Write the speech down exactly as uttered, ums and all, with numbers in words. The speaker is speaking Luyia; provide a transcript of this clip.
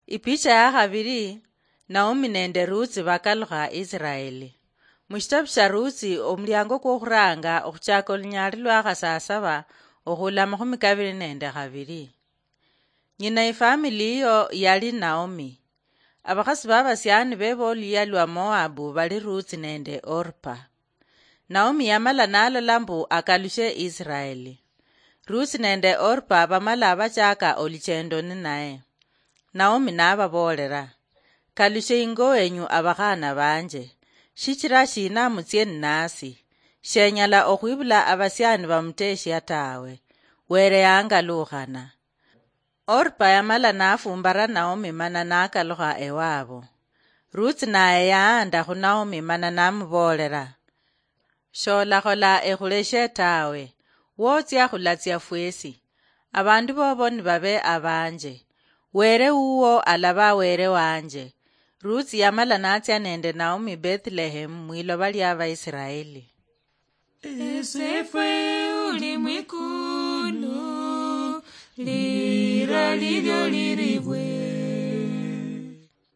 Ipicha ya khabili, Naomi nende Ruthi bakalukha Isiraeli. Mushitabu sha Ruthi, omuliango kwokhuranga okhuchaka olunyali lwa khasasaba okhula makhumi kabili nende khabili. Nyina ifamili iyo yali Naomi. Abakhasi babasiani beba oluyia lwa Moabu bali Ruthi nende Orpa. Naomi yamala nalola mbu akalushe Isiraeli. Ruthi nende Orpa bamala bachaka oluchendo ninaye. Naomi nababoolera, "Kalushe ingo wenyu, abakhana banje, shichira shina mutsie ninasi? Shenyala okhwibula abasiani bamuteshia tawe. Were yangalukhana." Orpa yamala nafumbara Naomi mana nakalukha ewabo. Ruthi naye yaanda khu Naomi mana namuboolera, "Sholakhola ekhuleshe tawe, wotsia khulatsia fwesi. Abandu bobo nibabe abanje. Were wuwo alaba were wanje." Ruthi yamala natsia nende Naomi Bethlehem mwiloba lia Baisiraeli. Esefwe uli mwikulu, lira lilyo liribwe.